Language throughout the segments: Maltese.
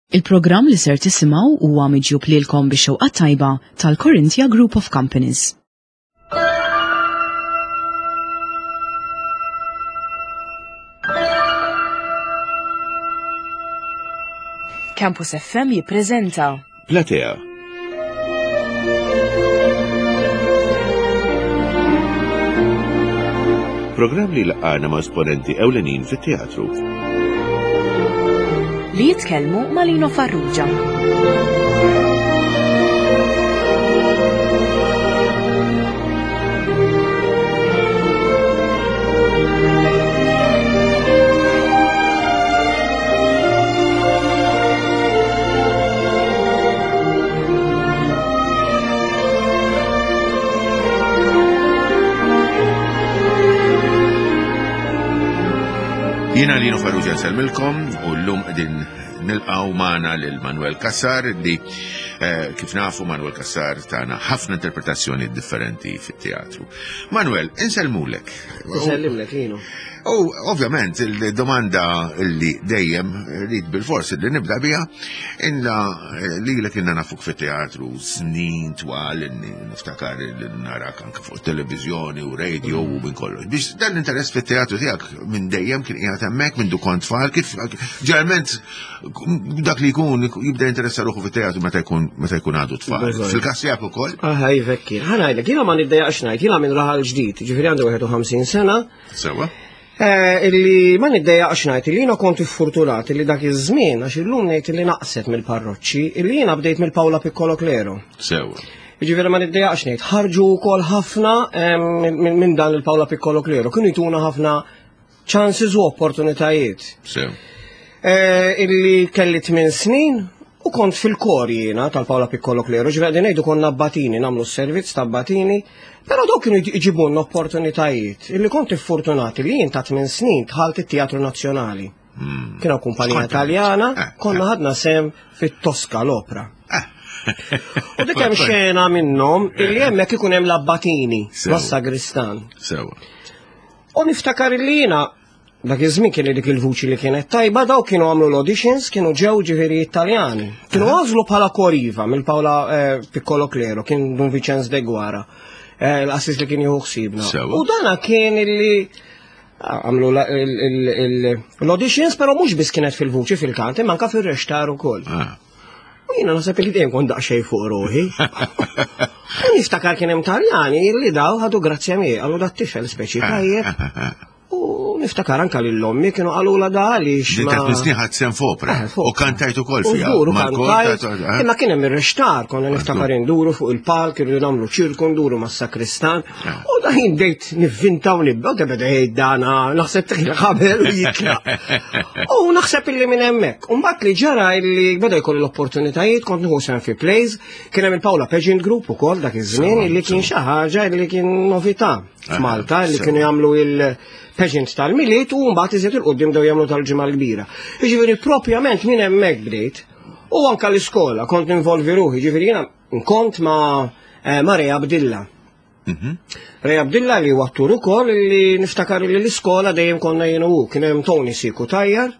Il-programm li ser tisimgħu huwa miġjub lilkom bix-xewqa tajba tal-Corinthia Group of Companies. Campus FM jippreżenta Platea. Programm li laqgħana ma' esponenti ewlenin fit-teatru. Li jitkellmu ma' Lino Farrugia. Jiena Lino Farrugia nsellmilkom u llum qegħdin nilqgħu magħna lil Manuel Cassar li eh, kif nafu Manuel Cassar tagħna ħafna interpretazzjoni differenti fit-teatru. Manuel, insellmulek. Insellimlek Lino. U ovvjament il-domanda li dejjem rrid bil-fors li nibda biha inna eh, li l inna nafuk fit-teatru snin twal inni niftakar li narak anke fuq televizjoni u radio u minn kollox. Biex dan l-interess fit-teatru tiegħek minn dejjem kien qiegħed hemmhekk minn du kont tfal kif ġeneralment dak li jkun jibda jinteressa ruħu fit-teatru meta jkun meta jkun għadu tfal. Fil-każ tiegħek ukoll. Aha, jivekki. Ħa ngħidlek, jiena ma niddejjaqx ngħid, jiena minn raħal ġdid, ġifieri għandi 51 sena. Sewa. Eh, illi ma niddejjaqx ngħid illi jiena kont iffortunat illi dak iż-żmien għax illum ngħid illi naqset mill-parroċċi illi jiena bdejt mill-Paola Piccolo Clero. Sewa. Jiġifieri ma niddejjaqx ngħid, ħarġu wkoll ħafna eh, minn dan il-Paola Piccolo Clero, kienu jtuna ħafna chances u opportunitajiet. Sew. Eh, illi kelli 8 snin u kont fil-kor jiena tal-Paola Piccolo Clero, ġifieri qegħdin ngħidu konna abbatini, nagħmlu s-servizz ta' abbatini, però dawk kienu jġibulna opportunitajiet illi kont iffortunati li jien ta' 8 snin dħalt it-Teatru Nazzjonali. Hmm. Kien hawn kumpanija Taljana, eh, konna eh. ħadna sem fit-Tosca l-opra. Eh. U dik hemm xena minnhom illi hemmhekk ikun hemm l-abbatini, mas-sagristan. Sewa. U niftakar li jiena dak iż-żmien kien dik il-vuċi li kienet tajba daw kienu għamlu l-auditions kienu ġew ġifieri Italjani. Kienu għażlu bħala koriva mill-Paola eh, Piccolo Clero, kien Dun Vincenz de Guara, eh, l-assis li kien jieħu ħsiebna. U dana kien illi ah, għamlu l-auditions, pero mhux biss kienet fil-vuċi fil-kant, imma anka fil-rextar ukoll. Ah. U jiena naħseb li dejjem kont daqsxejn fuq ruħi. U niftakar kien hemm Taljani li daw ħadu grazzja miegħi, qalu dat tifel speċi tajjeb. U niftakar anka lil ommi kienu qalula da għaliex. Din ta' snin ħadd sem fopra. Eh, U kantajt ukoll fiha. U kantajt. Eh. Imma kien hemm ir-rextar, konna niftakar induru fuq il-palk, irridu nagħmlu ċirku nduru mas-sakristan. Eh. U da jien bdejt nivvinta u nibda, u beda jgħid dana, naħseb tħil ħabel u jitlaq. U naħseb illi minn hemmhekk. U mbagħad li ġara illi beda jkolli l-opportunitajiet, kont nieħu sehem fi plays, kien hemm il-Paola Pageant Group ukoll dak iż-żmien illi kien xi ħaġa illi kien novità f'Malta illi kienu jagħmlu il-pageant tal-Milied u mbagħad iżjed il-qudiem bdew jagħmlu tal-Ġimgħa l-Kbira. Jiġifieri propjament minn hemmhekk bdejt. U anka l-iskola kont ninvolvi ruħi, ġifieri jiena kont ma' eh, Maria Abdilla. Mhm. Ray Abdilla li huwa attur ukoll li niftakar li l-iskola dejjem konna jien u kien hemm Tony Siku Tajjar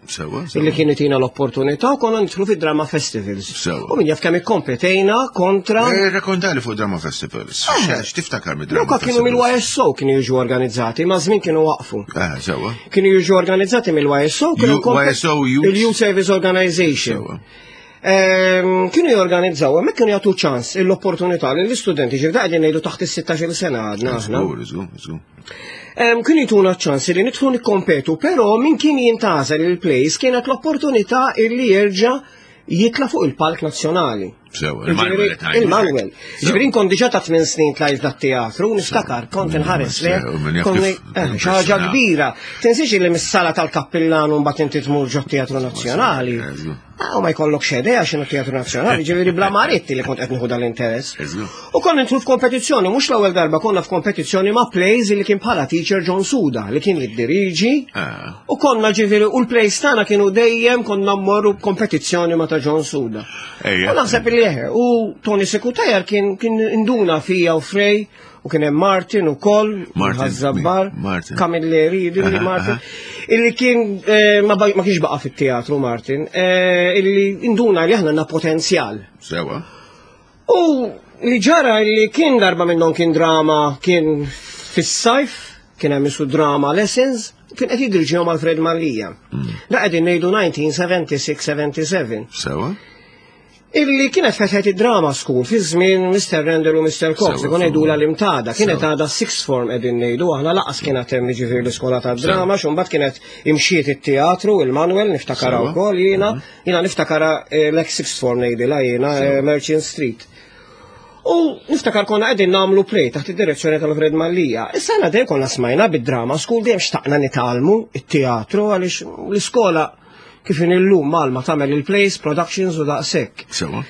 illi kien itina l-opportunità u konna nidħlu fid-drama festivals. U min jaf kemm ikkompetejna kontra. Eh, Rakkontali fuq drama festivals. Eh. X'tiftakar mid-drama? Dawk kienu mill-YSO kienu jiġu organizzati, ma żmien kienu waqfu. Eh, sewa. Kienu jiġu organizzati mill-YSO, kienu YSO il-Youth Service Organization. Ehm, kienu jorganizzaw, hemmhekk kienu jagħtu ċans l-opportunità li l-istudenti ġifda qegħdin ngħidu taħt is-16 sena għadna aħna. Ehm, kienu jtuna ċans li nidħlu nikkompetu, però min kien jintażel il-place kienet l-opportunità illi jerġa' jitla fuq il-palk nazzjonali. Il-Manuel. Il-Manuel. Ġifieri kont diġà ta' tmien snin tlajt dat-teatru, niftakar kont inħares le. Eh, xi ħaġa kbira. Tinsiex li mis-sala tal-kappillan u mbagħad inti tmur ġo teatru nazzjonali. Ah, u ma jkollok xedea xinu teatru nazzjonali, ġifieri bla maritti li kont qed nieħu dal-interess. U konna nidħlu f'kompetizzjoni, mhux l-ewwel darba konna f'kompetizzjoni ma' plays li kien bħala teacher John Suda li kien jiddiriġi. Ah. U konna ġifieri u l-plays tagħna kienu dejjem konna mmorru kompetizzjoni ma' ta' John Suda. U naħseb li Illi eħe, u Tony Sekutajar kien kien induna fija u Frej, u kien hemm Martin ukoll, Martin, Zabbar, Martin. Camilleri, illi Aha, Martin, aha. illi kien eh, ma ba- ma kienx baqa' fit-teatru Martin, eh, illi induna li aħna għandna potenzjal. Sewa. U li ġara li kien darba minnhom kien drama kien fis-sajf, kien hemm isu drama lessons, kien qed jidriġihom Alfred Mallia. Da qegħdin ngħidu 1976-77. Sewa. Illi kienet fetħet id-drama school fi żmien Mr. Randall u Mr. Cox, Sewa, ikun ngħidula l-imtada, kienet Sewa. għadha sixth form qegħdin ngħidu, aħna laqas kienet hemm jiġifieri l-iskola tad-drama, xumbat kienet imxiet it-teatru, il-Manuel niftakara Sewa. wkoll jiena, jiena niftakara eh, l-ex sixth form ngħidilha jiena eh, Merchant Street. U niftakar konna qegħdin nagħmlu play taħt id-direzzjoni tal-Alfred Mallia. Issa għana dejjem konna smajna bid-drama school dejjem xtaqna nitgħallmu it-teatru għaliex l-iskola kif in illum Malma tagħmel il-plays, productions u daqshekk. Sewa.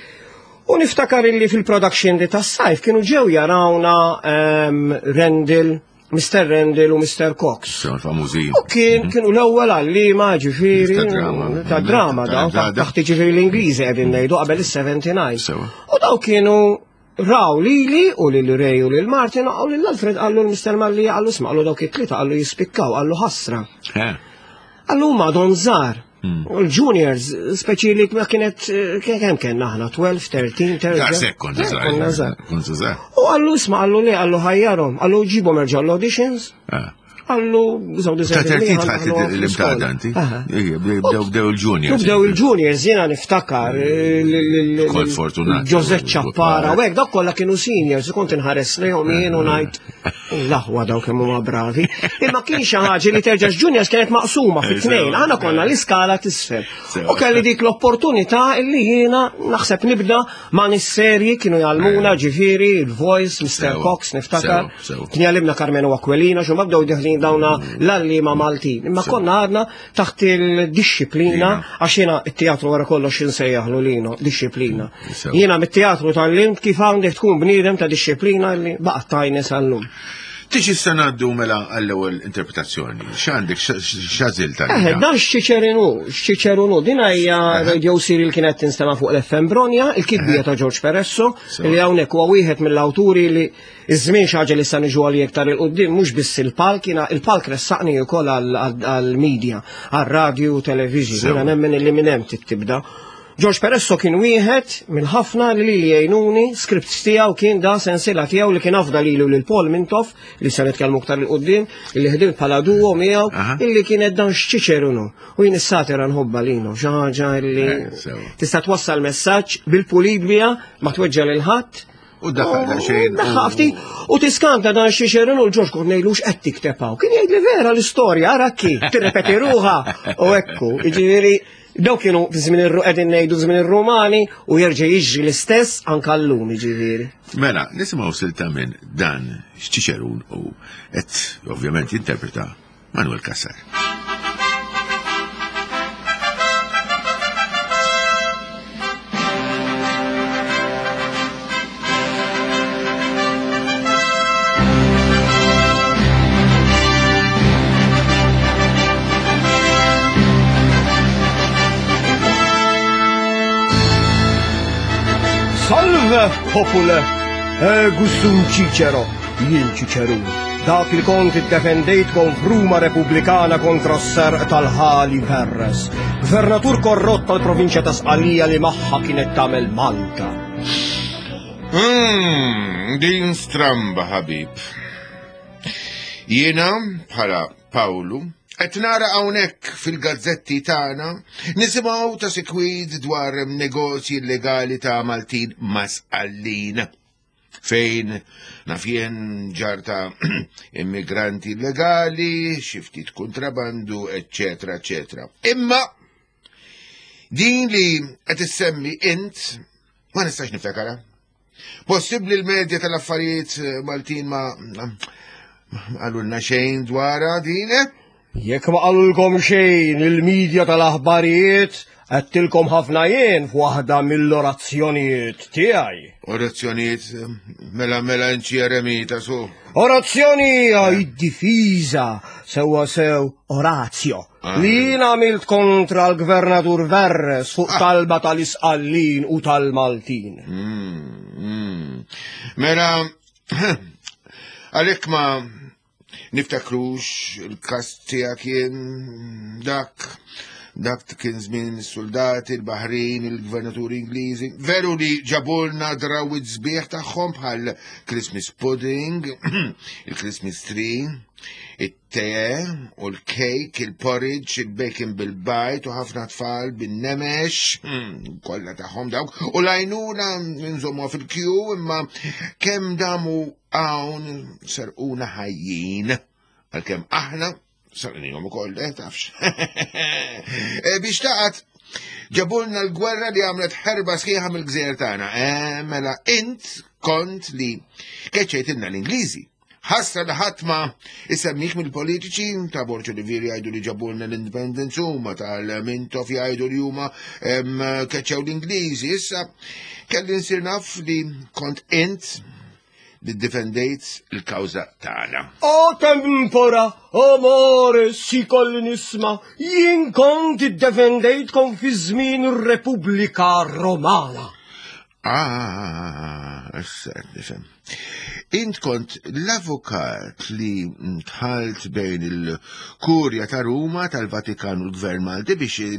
U niftakar illi fil-production di tas-sajf kienu ġew jarawna ehm, Rendil, Mr. Rendil u Mr. Cox. Sewa l-famużi. U kien kienu l-ewwel għallima ġifieri Ta' drama. ta' drama daw Ta' drama. taħt ġifieri l-Ingliżi qegħdin ngħidu qabel is-79. Sewa. U daw kienu raw lili u lil Ray u lil Martin u lil Alfred qallu l-Mr. Malli qallu isma' qallu dawk it-tlieta qallu jispikkaw qallu ħasra. Eh. Qallu huma għadhom żgħar. U l-juniors, speċi li ma kienet, eh, kemm kellna aħna, 12, 13, 13. Daqshekk kont Eh, Konna żgħar. Kont żgħar. U qallu isma' qallu li qallu ħajjarhom, qallu ġibhom erġa' l-auditions, Ah. qallu żew Ta' 13 tħadd l-imtada inti. Ija, Bdew bdew il-juniors. Bdew il-juniors jiena niftakar eh, Kol fortunat. Joseph Ċappara, u hekk dawk kollha kienu seniors, kont inħares lejhom jien u ngħid l-aħwa dawk kemm huma bravi. Imma kien xi ħaġa li terġa' juniors kienet maqsuma fit-tnejn, aħna konna l-iskala t'isfel. Sewa. U kelli dik l-opportunità illi jiena naħseb nibda ma' nis-serji kienu jgħallmuna ġifieri, il-voice, Mr. Sewa. Cox, niftakar. Sewa, sewa. Kien jgħallimna Carmelo Aquilina, xumma bdew deħlin dawna l-għallima Maltin. Imma konna għadna taħt il-disciplina, għax jiena it-teatru wara kollox insejjaħlu lino, disciplina. Sewa. Jiena mit-teatru tal-limt kif għandek tkun bniedem ta' disciplina li baqgħet tajni sal-lum. Tiġi issa ngħaddu mela għall-ewwel interpretazzjoni. X'għandek x'għażil Eh, tal dan xċiċerinu, xċiċerunu, din hija radio serial kienet tinstema' fuq l-FM Bronja, il-kitbija ta' George Peresso, Sewa. li hawnhekk huwa wieħed mill-awturi li iż-żmien xi ħaġa li sa niġu għalih iktar il qudiem mhux biss il-palk, jiena il-palk ressaqni wkoll għall-media, għar-radio, television, Sewa. jiena nemmen li minn hemm tibda. George Peresso kien wieħed minn ħafna li li jgħinuni, scripts tiegħu kien da sensila tiegħu li kien afda lilu lil Paul Mintoff li se nitkellmu aktar il qudiem li ħdimt bħala duo miegħu Aha. illi kienet dan xċiċerunu. U jien is-satira nħobba linu, xi ħaġa illi Eh, sewa. tista' twassal messaġġ bil-pulit biha ma tweġġa lil ħadd. U daħħal daqsxejn. Daħħal ftit, u tiskanta dan xċiċerunu l-Ġorġ kont ngħidlux qed tikteb hawn. Kien jgħid li vera l-istorja, ara ki, tirrepeti ruha u ekku. Jiġifieri daw kienu fi żmien ir qegħdin ngħidu żmien ir-Rumani u jerġa' jiġri l-istess anke llum jiġifieri. Mela, nisimgħu silta minn dan x'Ċiċerun u qed ovvjament jinterpreta Manuel Cassar. Salve, popule! Ego sum Cicero, jien Cicerun. Dak li kont iddefendejtkom f'Ruma Repubblikana kontra s-serq tal-ħali Verres, gvernatur korrott tal-provinċja ta' Sqalija li magħha kienet tagħmel Malta. Hmm, din stramba ħabib. Jiena bħala Pawlu qed nara hawnhekk fil-gazzetti tagħna nisimgħu ta' sikwid dwar negozji illegali ta' Maltin masqallin. Fejn naf jien ġar ta' immigranti illegali, xi ftit kontrabandu, eccetera, eccetera. Imma din li qed issemmi int ma nistax niftakara. Possibbli l-medja tal-affarijiet eh, Maltin ma ma qalulna xejn dwarha din, eh? Jekk ma qalulkom xejn il-medja tal-aħbarijiet, għedtilkom ħafna jien f'waħda mill-orazzjonijiet tiegħi. Orazzjonijiet eh, mela mela inċi eremita su. Orazzjoni hija id-difiża sewwa sew orazio. Li jien għamilt kontra l-Gvernatur Verres fuq ah. talba tal-Isqallin u tal-Maltin. Mm, mm. Mela, għalhekk ma niftakrux il-kas tiegħek jien dak dak kien żmien is-soldati, il-Baħrin, il-gvernaturi Ingliżi. Veru li ġabulna drawit sbieħ tagħhom bħal Christmas pudding, il-Christmas tree, it-te u l-kejk, il-porridge, il-bacon bil-bajt u ħafna tfal bin-nemex, hmm, kollha tagħhom dawk, u lajnuna nżommuha fil-kju imma kemm damu hawn serquna ħajjin għalkemm aħna sarqnihom ukoll, eh, tafx. Eh, biex taqgħod ġabulna l-gwerra li għamlet ħerba sħiħa mill-gżejjer tagħna. Eh, mela int kont li keċċejtilna l-Ingliżi. Ħasra li ħadd ma isemmik mill-politiċi ta' Borġ Olivier jgħidu li ġabulna l-independence huma tal-Mintoff jgħidu li huma keċċew l-Ingliżi. Issa kelli nsir naf li kont int li ddefendejt il-kawża tagħna. O tempora, amore, si kolli nisma, jien kont iddefendejtkom fi żmien ir-Repubblika Romana. Ah, issa qed nifhem. Int kont l-avukat li tħalt bejn il-Kurja ta' Ruma tal-Vatikan u l-Gvern Malti biex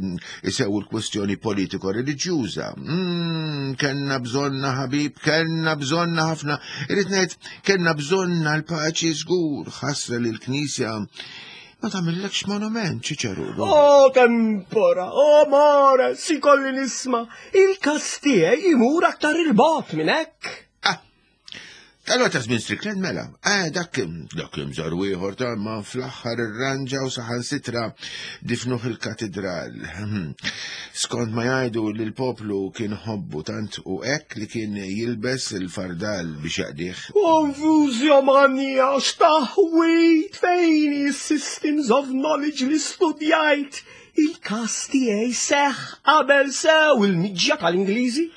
isewu l-kwestjoni politiko-reliġjuża. Mm, kenna bżonna ħabib, kenna bżonna ħafna. Irrid ngħid, kenna bżonna l-paċi żgur, ħasra li l-Knisja Ma tagħmillekx monument, Ċiċeru. Oh, tempora, oh, more, si kolli nisma. Il-kas tiegħi imur aktar il-bot minn hekk. Ah, Allora ta' żmien Strickland mela, eh, dak dak imżar ieħor ta' ma fl-aħħar irranġa u saħansitra difnuh il-katedral. Skont ma jgħidu li l-poplu kien ħobbu tant u hekk li kien jilbes il-fardal biex jaqdih. Konfuzjo mania, x'taħwit fejn is-systems of knowledge li studjajt. Il-kas tiegħi seħ qabel sew il-miġja tal-Ingliżi.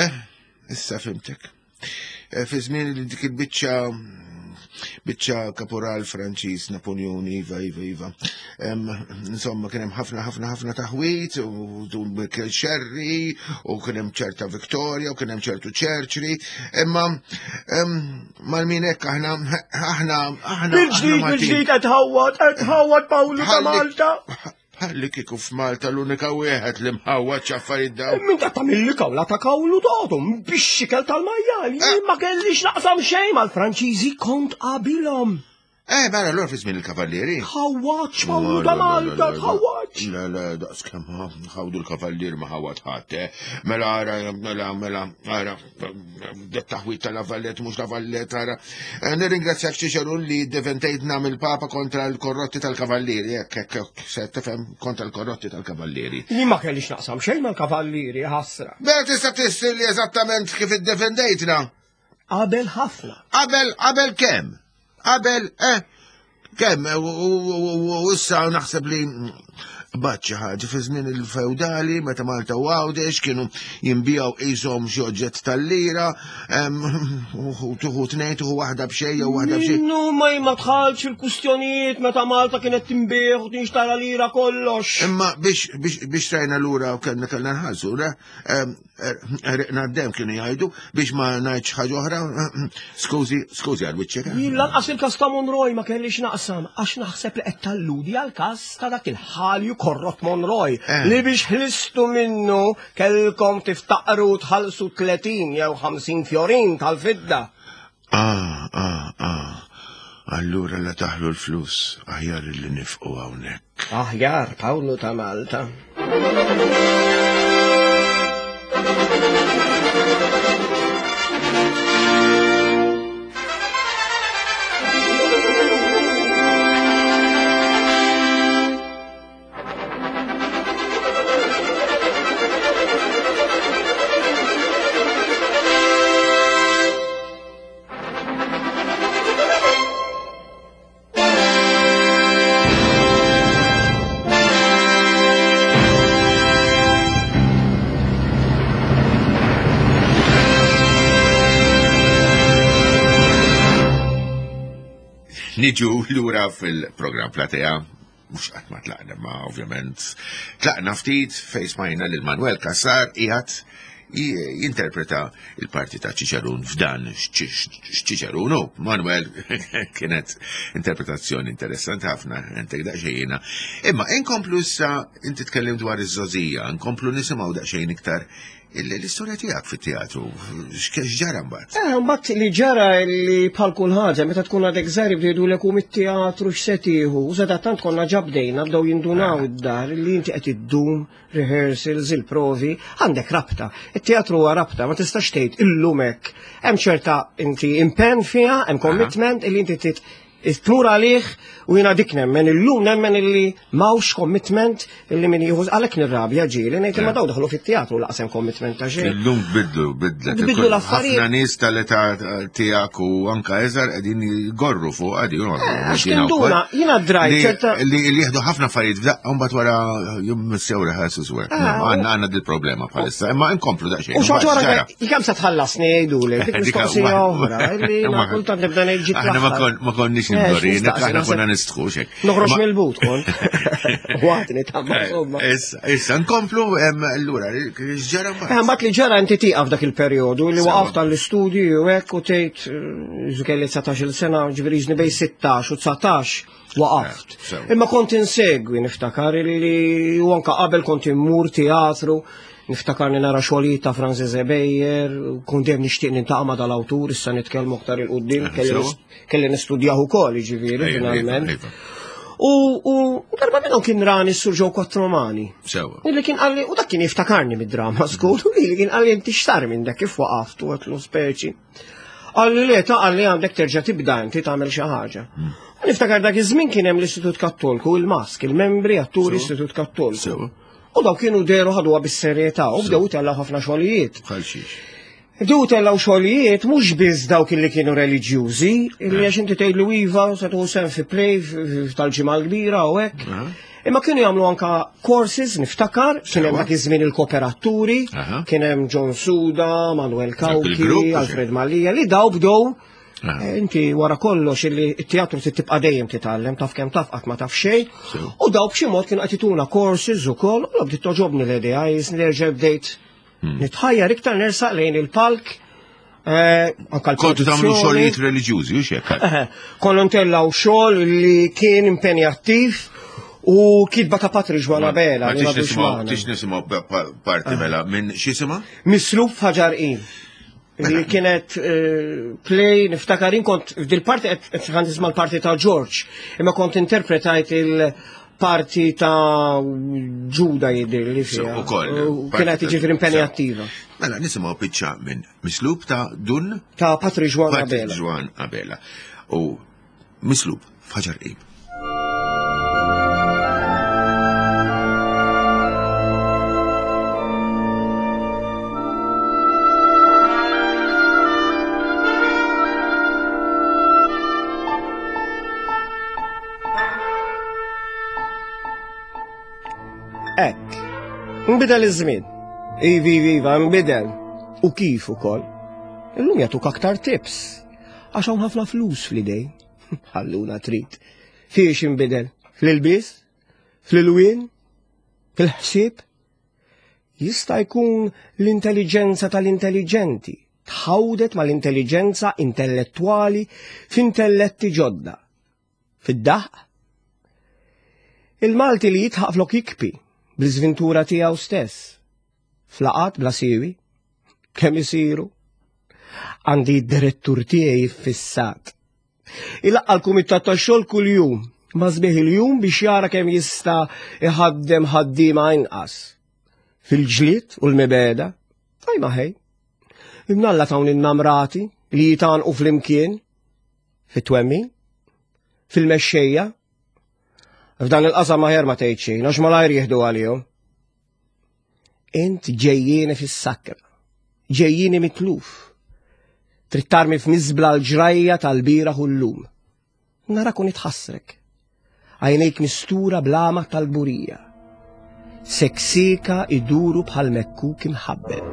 Eh, issa fimtek. Eh, fi żmien li dik il-biċċa biċċa kaporal Franċiż Napoleon iva iva iva. Insomma kien hemm ħafna ħafna ħafna taħwit u dun Michael Sherry u kien hemm ċerta Victoria u kien hemm ċertu Churchill. Imma mal-min hekk aħna aħna aħna Bil-ġdid bil-ġdid qed ħawwad qed ħawwad Pawlu ta' Malta. Bħalli kieku f'Malta l-unika wieħed li mħawwad x'affarijiet dawn. Min qed tagħmilli kawla ta' kawlu tagħhom bix-xikel tal-majjal. Eh. Jien ma kellix naqsam xejn mal-Franċiżi kont qabilhom. Eh, mela l fi żmien il-kavallieri. Ħawwaġ, Pawlu ta' Malta, ħawwaġ. Le, le, daqs kemm ħawdu l-kavallier ma ħawad ħadd, eh. Mela ara, mela, mela, ara, det taħwit ta' Lavallet mhux Lavallet ara. Eh, nirringrazzjak Ċiċeru li defendejtna mill-Papa kontra l-korrotti tal-Kavallieri, hekk hekk hekk se tifhem kontra l-korrotti tal-Kavallieri. Li ma kellix naqsam xejn mal-Kavallieri ħasra. Mela tista' tissilli eżattament kif iddefendejtna. Qabel ħafna. Qabel qabel kemm? Qabel, eh, kemm, u issa naħseb li bat xi ħaġa fi żmien il-feudali meta Malta u Għawdex kienu jinbijaw qishom xi oġġett tal-lira, u tuħu tnejn tuħu waħda b'xejn jew waħda b'xejn. Minnu ma ma tħalx il-kustjonijiet meta Malta kienet tinbih u tinxtara lira kollox. Imma biex biex biex trajna lura u kellna kellna nħallsu, Riqna d-dem kienu jgħidu biex ma ngħidx ħaġa oħra. Skużi, skużi għal wiċċek. Eh? Jien lanqas il-każ ta' Monroy ma kellix naqsam għax naħseb li qed talludi għal każ ta' dak il-ħalju korrot Monroy eh. li biex ħlistu minnu kellkom tiftaqru tħallsu 30 jew 50 fjorin tal-fidda. Ah, ah, ah. Allura la taħlu l-flus aħjar li nifqu hawnhekk. Aħjar Pawlu ta' Malta. Niġu lura fil-programm Platea. mhux qatt ma tlaqna, ma ovvjament tlaqna ftit fejn smajna lil Manuel Cassar qiegħed jinterpreta il-parti ta' Ċiċerun f'dan x'Ċiċerun hu. Manuel kienet interpretazzjoni interessanti ħafna, entek daqsxejn Imma inkomplu issa inti tkellim dwar iż-żogħżija, nkomplu nisimgħu daqsxejn iktar l-istorja tiegħek fit-teatru, x'ġara mbagħad? Eh, mbagħad li ġara li bħal kull ħaġa meta tkun għadek żgħir jibdew u mit-teatru x'se tieħu, u tant konna ġabdejna bdew jindunaw eh. id-dar li inti qed iddum rehearsals, il-provi, għandek rabta. It-teatru huwa rabta, ma tistax tgħid illum hekk. Hemm ċerta inti impenn fiha, hemm commitment illi inti tit tmur għalih u jiena dik nemmen illum nemmen illi m'hawnx commitment illi min jieħu għalhekk nirrabja ġieli ngħid imma daw daħlu fit-teatru laqsem commitment ta' xejn. Illum bidlu, bidlet. Bidlu l-affarijiet. Ħafna nies tal-età tiegħek u anka eżar qegħdin jgorru fuq għadi. Eh, għax tinduna, jiena drajt ċerta. Li jieħdu ħafna affarijiet f'daqqa mbagħad wara jimmissew rehearsals work. Eh, għandna għandna dil-problema bħalissa, imma nkomplu daqsxejn. U xorta wara kemm se tħallasni jgħidulek, dik mistoqsija oħra, li kultant nibda ngħid Aħna ma konniex eh, imdorin, aħna konna nistħu xek. Noħroġ mill-but kont. Waqt tamma eh, insomma. Issa, issa nkomplu allura x'ġara mbagħad. Eh, mbagħad li ġara inti tieqaf dak il-perjodu li waqaft għall-istudju u hekk u tgħid eh, kelli 19-il sena, ġifieri ġni bej 16 u 19 waqaft. Imma kont insegwi niftakar li u anka qabel kont immur teatru Niftakarni nara xogħlijiet ta' Francis Ebejer, kont dejjem nixtieq nintaqa' ma' dal-awtur, issa nitkellmu aktar 'il quddiem, kelli nistudjah ukoll, jiġifieri finalment. U darba minnhom kien rani s-Sur Joe Quattromani. Sewa. Illi kien qalli, u dak kien jiftakarni mid-drama school, u li kien qalli inti x'sar minn dak kif waqaft u għetlu speċi. Qalli le ta' qalli għandek terġa' tibda inti tagħmel xi ħaġa. U niftakar dak iż-żmien kien hemm l-Istitut Kattolku, il-Mask, il-membri atturi Istitut Kattolku. U daw kienu deru ħaduha bis-serjetà u bdew itellgħu ħafna xogħlijiet. Bħal xiex. Bdew itellgħu xogħlijiet mhux biss dawk li kienu reliġjużi, illi għax inti tgħidlu iva se tieħu sehem fi play tal-ġimgħa l-kbira u hekk. Imma kienu jagħmlu anka courses niftakar, kien hemm dak iż-żmien il-kooperaturi, kien hemm John Suda, Manuel Cauchi, Alfred Mallia, li daw bdew Eh, inti wara kollox illi t-teatru trid tibqa' dejjem titgħallem, taf kemm taf qatt ma taf xejn. U daw b'xi mod kienu qed ituna courses ukoll, u bdiet toġobni l-idea, jisni nerġa' bdejt hmm. nitħajjar iktar nersaq lejn il-palk. Eh, Kontu tagħmlu xogħlijiet reliġjużi, u xek? Eh, konna ntellgħu xogħol li kien impenjattiv u kitba ta' Patri Ġwana Bela. Tix nisimgħu parti mela minn x'isimha? Mislub f'Ħaġar Qim. Li kienet eh, play, niftakar kont f'dil-parti qed nisma' l-parti ta' George, imma kont interpretajt il-parti ta' Ġuda jidher li fiha. Kienet jiġifieri impenjattiva. Mela nisimgħu biċċa minn Mislub ta' Dun ta' Patri Juan Abela. Juan Abela. U Mislub f'Ħaġar Qim. Hekk. Nbidel iż-żmien. Ivi, iva, nbidel. U kif ukoll. Illum jagħtuk aktar tips. Għax hawn ħafna flus fl-idej. Ħalluna trid. Fiex inbidel? Fl-ilbies? Fl-ilwien? Fil-ħsieb? Jista' jkun l-intelliġenza tal-intelliġenti tħawdet mal-intelliġenza intellettwali f'intelletti ġodda. Fid-daħq? Il-Malti li jitħaq flok jikpi bl-iżvintura tiegħu stess. Flaqat bla siwi? Kemm isiru? Għandi d-direttur tiegħi ffissat. Ilaqqa l-kumitat tax-xogħol kuljum, ma sbieħ il-jum biex jara kemm jista' iħaddem ħaddiema inqas. Fil-ġlied u l-mibeda, tajma ħej. Imnalla tawn in-namrati li jitanqu flimkien fit-twemmin, fil-mexxejja. F'dan il-qasam aħjar ma tgħid xejn, għax malajr jieħdu għalihom. Int ġejjieni fis-sakra, ġejjieni mitluf. Trid tarmi f'miżbla l-ġrajja tal-bieraħ u llum. Narak u nitħassrek. Għajnejk mistura bl-għama tal-kburija. Seksika iduru bħal mekkuk imħabbel.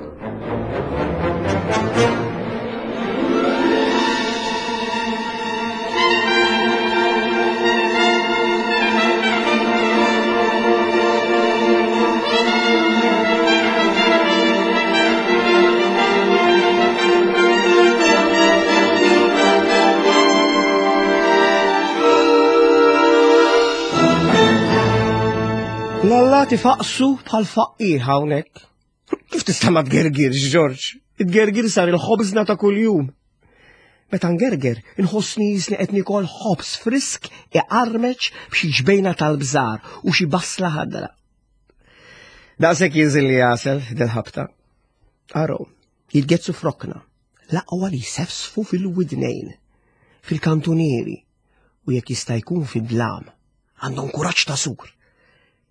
Qed ifaqsu bħal faqqir hawnhekk. Kif tista' ma tgergirx, Ġorġ? It-gergir sar il-ħobżna ta' kuljum. Meta ngerger, inħossni jisni qed nikol ħobż frisk iqarmeċ b'xi ġbejna tal-bżar u xi basla ħadra. Daqshekk jinżilli għasel del-ħabta. Araw, jitgezzu frokna, l-aqwa li jsefsfu fil-widnejn, fil-kantunieri, u jekk jista' jkun fid-dlam. Għandhom kuraġġ ta' sur.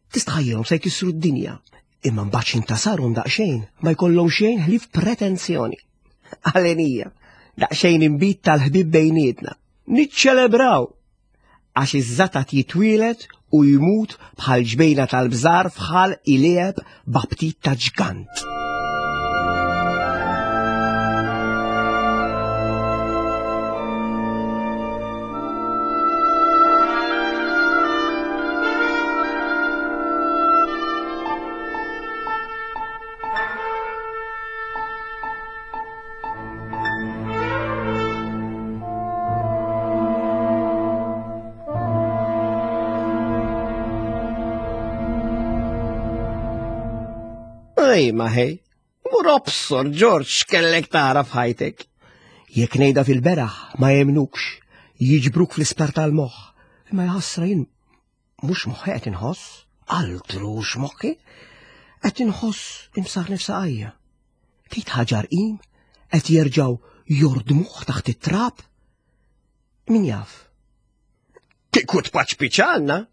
Tistħajjilhom se jkissru d-dinja, imma mbagħad x'intasarhom daqsxejn ma jkollhom xejn ħlief pretenzjoni. Għalenija, daqsxejn inbid tal-ħbieb bejnietna. Niċċelebraw għax iż-żatat jitwielet u jmut bħal ġbejna tal-bżar fħal ilieb b'aptit ta' ġgant. Ej, ma ħej, mur obsor, Ġorġ, x'kellek tara f'ħajtek. Jekk ngħidha fil-beraħ ma jemnukx, jiġbruk fl-isptar tal-moħħ. Imma jħassra jien mhux moħħi qed inħoss, altrux moħħi, qed inħoss imsar nifsa għajja. Tgħid ħaġar qim qed jerġgħu jordmuh taħt it-trab? Min jaf? Kieku tpaċpiċ għandna,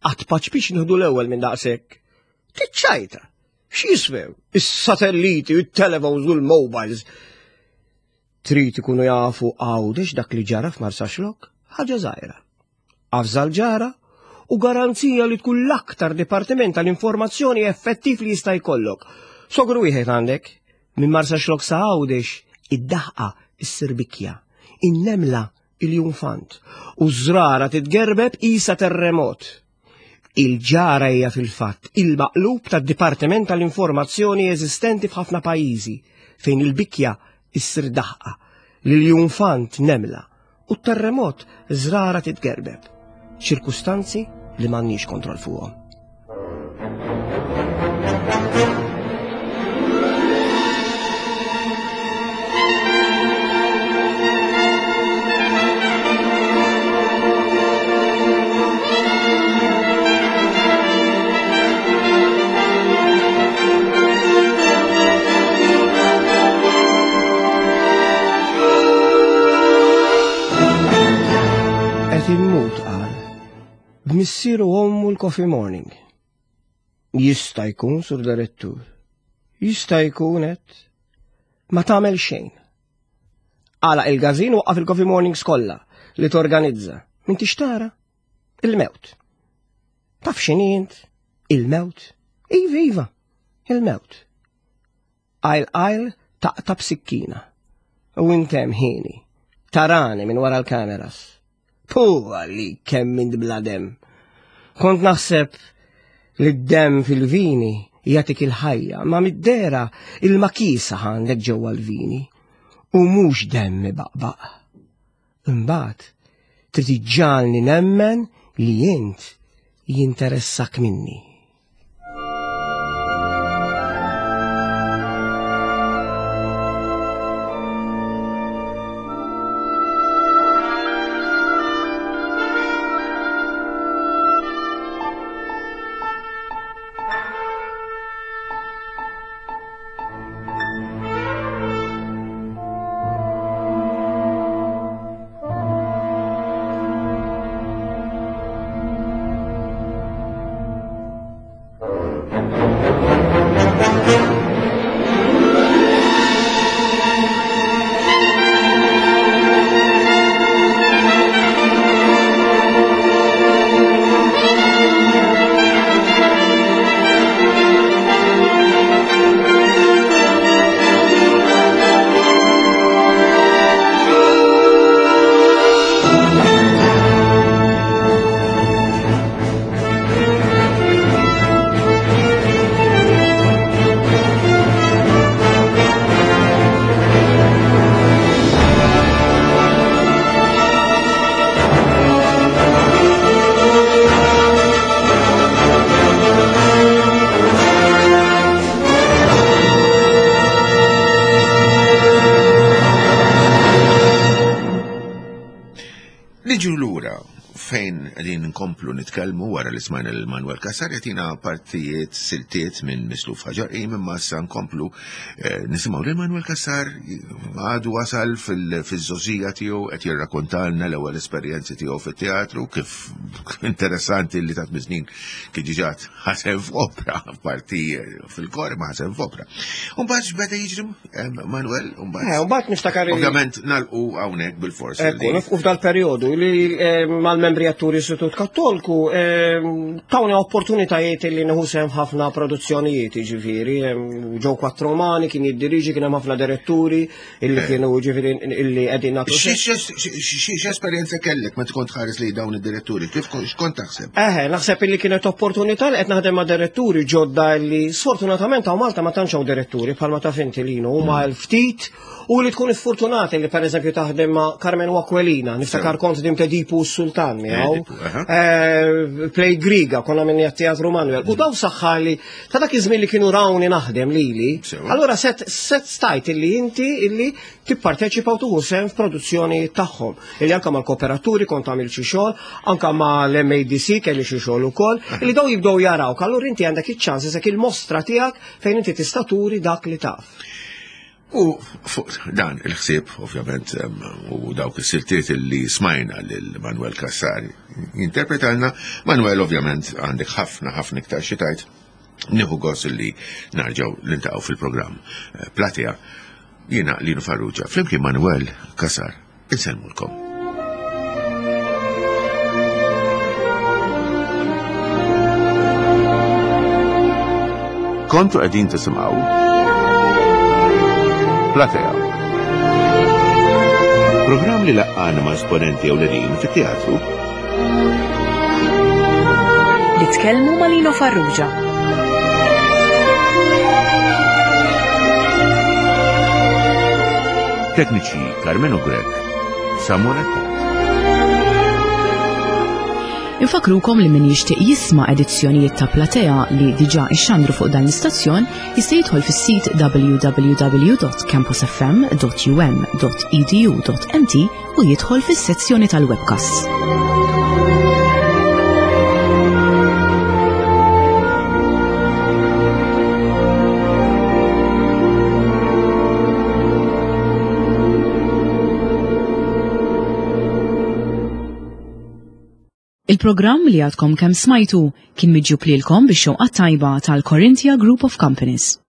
għat paċpiċ nieħdu l-ewwel minn daqshekk. Tiċċajta, x'jiswew is-satelliti, it-telefons u l-mobiles. Trid ikunu jafu għawdex dak li ġara f'Marsaxlokk? Ħaġa żgħira. Avża l-ġara u garanzija li tkun l-aktar dipartiment tal-informazzjoni effettiv li jista' jkollok. Sogru wieħed għandek, minn Marsaxlokk sa Għawdex id-daħqa issir bikja, in-nemla il-junfant u ż-żrara titgerbeb qisha terremot. Il-ġara hija fil-fatt il-maqlub tad-Dipartiment tal-Informazzjoni eżistenti f'ħafna pajjiżi fejn il-bikja issir daħqa, l-iljunfant nemla u t-terremot żrara titgerbeb. Ċirkustanzi li m'għandniex kontroll fuqhom. Qed immut qal. B'missieru ommu l-coffee morning. Jista' jkun, sur direttur. Jista' jkun qed. Ma tagħmel xejn. Għalaq il-gazin waqqaf il-coffee mornings kollha li torganizza. Min tixtara? Il-mewt. Taf x'inhi int? Il-mewt. Iva, iva, il-mewt. Qajl qajl taqta' b'sikkina. U intem ħini. Tarani minn wara l-kameras. Puh għalli kemm int bla demm. Kont naħseb li d-demm fil-vini jagħtik il-ħajja, ma mid-dera il-makisa għandek ġewwa l-vini u mhux demm ibaqbaq. Imbagħad trid iġġagħalni nemmen li int jinteressak minni. Niġu lura fejn qegħdin nkomplu nitkellmu wara li smajna lil Manuel Cassar jagħtina partijiet siltiet minn Misluf Ħaġar Qim imma issa nkomplu eh, nisimgħu lil Manuel Cassar għadu wasal fil-żożija tiegħu qed jirrakkontalna l-ewwel esperjenzi tiegħu fit-teatru kif interessanti li ta' snin kien diġà ħasem f'opra parti fil-kor ma ħasem f'opra. Umbagħad x'beda jiġri Manuel, umbagħad. Eh, umbagħad niftakar. Ovvjament nalqu hawnhekk bil-fors. Ekku, nifqu f'dal-perjodu li mal-membri atturi Istitut Kattolku tawni opportunitajiet li nieħu sehem ħafna produzzjonijiet, jiġifieri, ġew Quattromani kien jiddiriġi kien hemm ħafna diretturi illi eh. kienu ġifieri illi qegħdin nagħtu. X'esperjenza kellek meta kont ħares li dawn id-diretturi? Kif x'kont taħseb? Eħe, naħseb illi kienet opportunità li qed naħdem ma' diretturi ġodda illi sfortunatament hawn Malta ma tantx hawn diretturi bħalma taf inti Lino huma mm. l-ftit u li tkun iffortunati li pereżempju taħdem ma' Carmen Aquilina, niftakar kont dim Tedipu s-Sultan miegħu. Eh, Play Griga, konna minni għat-Teatru Manuel. U daw saħħali ta' dak iż-żmien li kienu rawni naħdem lili, allura set set stajt illi inti illi tipparteċipa u tuħu sehem f'produzzjoni tagħhom. Illi anka mal-kooperaturi kont għamil xi xogħol, anka mal-MADC kelli xi xogħol ukoll, illi daw jibdew jarawk, allura inti għandek iċ-ċans isek il-mostra tiegħek fejn inti tista' turi dak li taf. U fuq dan il-ħsieb, ovvjament, u dawk is-siltiet li smajna lil Manuel Cassar jinterpretalna, Manuel ovvjament għandek ħafna ħafna iktar xi tgħid. Nieħu gost li narġgħu niltaqgħu fil-programm eh, Platea. Jiena Lino Farrugia, flimkien Manuel Cassar. Insellmulkom. Kontu qegħdin tisimgħu Platea. Programm li laqqana ma' esponenti ewlenin fit-teatru. Li tkellmu ma' Lino Farrugia. Tekniċi Carmenu Grech, Samuel Attard. Infakrukom li min jixtieq jisma' edizzjonijiet ta' Platea li diġà ixxandru fuq dan l-istazzjon jista' jidħol fis-sit www.campusfm.um.edu.mt u jidħol fis-sezzjoni tal-webcasts. Il-programm li għadkom kemm smajtu kien miġjub lilkom bix-xewqa tajba tal-Corinthia Group of Companies.